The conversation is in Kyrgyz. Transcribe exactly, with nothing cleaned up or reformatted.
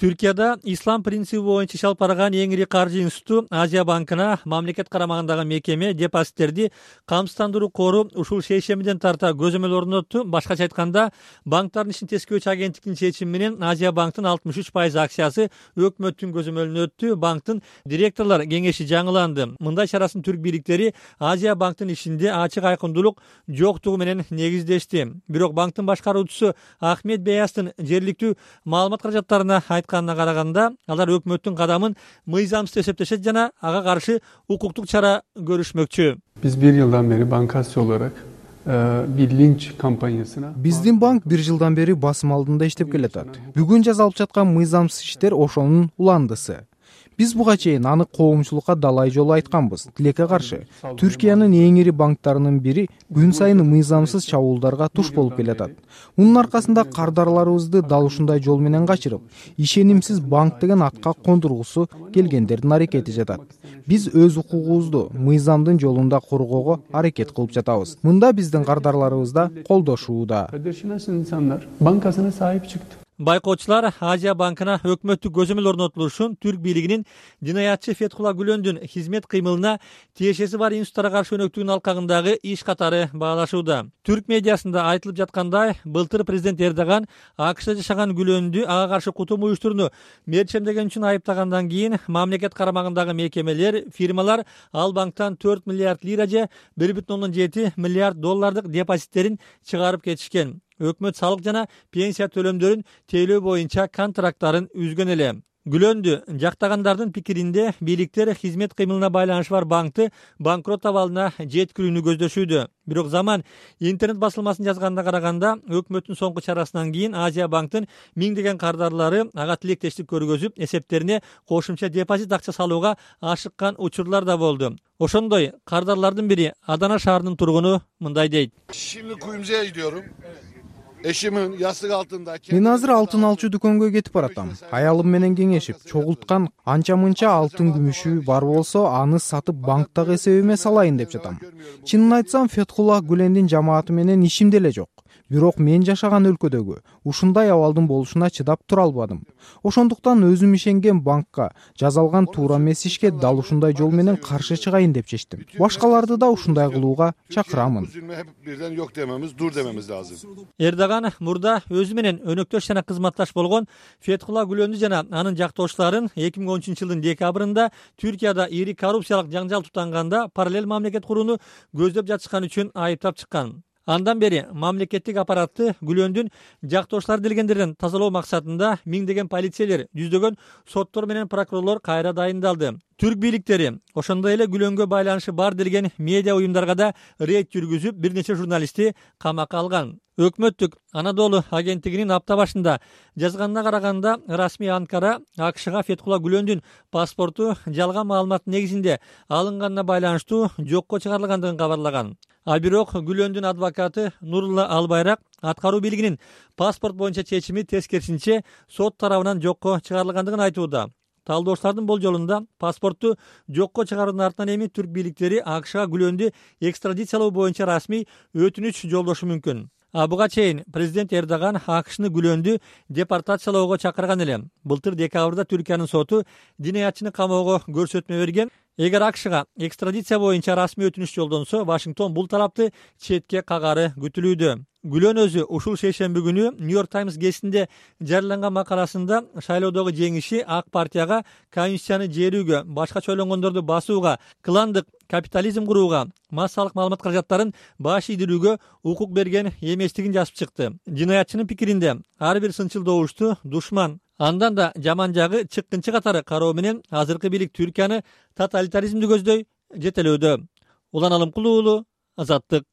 Түркияда ислам принциби боюнча иш алып барган эң ири каржы институту Азия банкына мамлекет карамагындагы мекеме депозиттерди камсыздандыруу кору ушул шейшембиден тарта көзөмөл орнотту. Башкача айтканда, банктардын ишин тескөөчү агенттиктин чечими менен Азия банктын алтымыш үч пайыз акциясы өкмөттүн көзөмөлүнө өттү. Банктын директорлор кеңеши жаңыланды. Мындай чарасын түрк бийликтери Азия банктын ишинде ачык айкындуулук жоктугу менен негиздешти. Бирок банктын башкаруучусу Ахмет Беястын жергиликтүү маалымат каражаттарына айтканына караганда, алар өкмөттүн кадамын мыйзамсыз эсептешет жана ага каршы укуктук чара көрүшмөкчү. Биз бир жылдан бери банкасы olarak bir linç kampanyasına Биздин банк бир жылдан бери басым алдында иштеп келатат. Бүгүн жазалып жаткан мыйзамсыз иштер ошонун уландысы. Биз буга чейин аны коомчулукка далай жолу айтканбыз. Тилекке каршы Түркиянын эң ири банктарынын бири күн сайын мыйзамсыз чабуулдарга туш болуп келатат. Мунун аркасында кардарларыбызды дал ушундай жол менен качырып, ишенимсиз банк деген атка кондургусу келгендердин аракети жатат. Биз өз укугубузду мыйзамдын жолунда коргоого аракет кылып жатабыз. Мында биздин кардарларыбыз да колдошууда. insanlar bankasına sahip çıktı. Байкоочулар Азия банкына өкмөттүк көзөмөл орнотулушун түрк бийлигинин жинаятчы Фетхулла Гүлөндүн хизмет кыймылына тиешеси бар институттарга каршы өнөктүгүнүн алкагындагы иш катары баалашууда. Түрк медиасында айтылып жаткандай, былтыр президент Эрдоган АКШда жашаган Гүлөндү ага каршы кутум уюштурууну мерчемдеген үчүн айыптагандан кийин мамлекет карамагындагы мекемелер, фирмалар ал банктан төрт миллиард лира же бир бүтүн ондон жети миллиард доллардык депозиттерин чыгарып кетишкен. Өкмөт салык жана пенсия төлөмдөрүн тейлөө боюнча контракттарын үзгөн эле. Гүлөндү жактагандардын пикиринде, бийликтер хизмет кыймылына байланышы бар банкты банкрот абалына жеткирүүнү көздөшүүдө. Бирок Заман интернет басылмасын жазганына караганда, өкмөттүн соңку чарасынан кийин Азия банктын миңдеген кардарлары ага тилектештик көргөзүп, эсептерине кошумча депозит акча салууга ашыккан учурлар да болду. Ошондой кардарлардын бири Адана шаарынын тургуну мындай дейт. Şimdi kuyumcuya gidiyorum. Eşimin yastık altında. Мен азыр алтын алчу дүкөнгө кетип баратам. Аялым менен кеңешип, чогулткан анча-мынча алтын күмүшү бар болсо, аны сатып банктагы эсебиме салайын деп жатам. Чынын айтсам, Фетхулла Гүлендин жамааты менен ишим деле жок. Бирок мен жашаган өлкөдөгү ушундай абалдын болушуна чыдап тура албадым. Ошондуктан өзүм ишенген банкка жазалган туура эмес ишке дал ушундай жол менен каршы чыгайын деп чечтим. Башкаларды да ушундай кылууга чакырамын. Birden yok dememiz, dur dememiz lazım. Эрдоган мурда өзү менен өнөктөш жана кызматташ болгон Фетхулла Гүлөндү жана анын жактоошчуларын эки миң он үчүнчү жылдын декабрында Түркияда ири коррупциялык жаңжал тутанганда параллель мамлекет курууну көздөп жатышкан үчүн айыптап чыккан. Андан бери мамлекеттик аппаратты Гүлөндүн жактоошчулары делгендерден тазалоо максатында миңдеген полицейлер, жүздөгөн соттор менен прокурорлор кайра дайындалды. Түрк бийликтери ошондой эле Гүлөнгө байланышы бар делген медиа уюмдарга да рейд жүргүзүп, бир нече журналистти камакка алган. Өкмөттүк Анадолу агенттигинин апта башында жазганына караганда, расмий Анкара АКШга Фетхулла Гүлөндүн паспорту жалган маалыматтын негизинде алынганына байланыштуу жокко чыгарылгандыгын кабарлаган. А бирок Гүлөндүн адвокаты Нурулла Албайрак аткаруу бийлигинин паспорт боюнча чечими тескерисинче сот тарабынан жокко чыгарылгандыгын айтууда. Талдоочулардын болжолунда паспортту жокко чыгаруунун артынан эми түрк бийликтери АКШга Гүлөндү экстрадициялоо боюнча расмий өтүнүч жолдошу мүмкүн. А буга чейин президент Эрдоган АКШны Гүлөндү депортациялоого чакырган эле. Былтыр декабрда Түркиянын соту динаятчыны камоого көрсөтмө берген. Эгер АКШга экстрадиция боюнча расмий өтүнүч жолдонсо, Вашингтон бул талапты четке кагары күтүлүүдө. Гүлөн өзү ушул шейшемби күнү Нью-Йорк Таймс гезитинде жарыяланган макаласында шайлоодогу жеңиши ак партияга конституцияны жерүүгө, башкача ойлонгондорду басууга, кландык капитализм курууга, массалык маалымат каражаттарын баш ийдирүүгө укук берген эместигин жазып чыкты. Жинаятчынын пикиринде ар бир сынчыл добушту душман, андан да жаман жагы чыккынчы катары кароо менен азыркы бийлик Түркияны тоталитаризмди көздөй жетелөөдө. Улан Алымкулуу, Азаттык.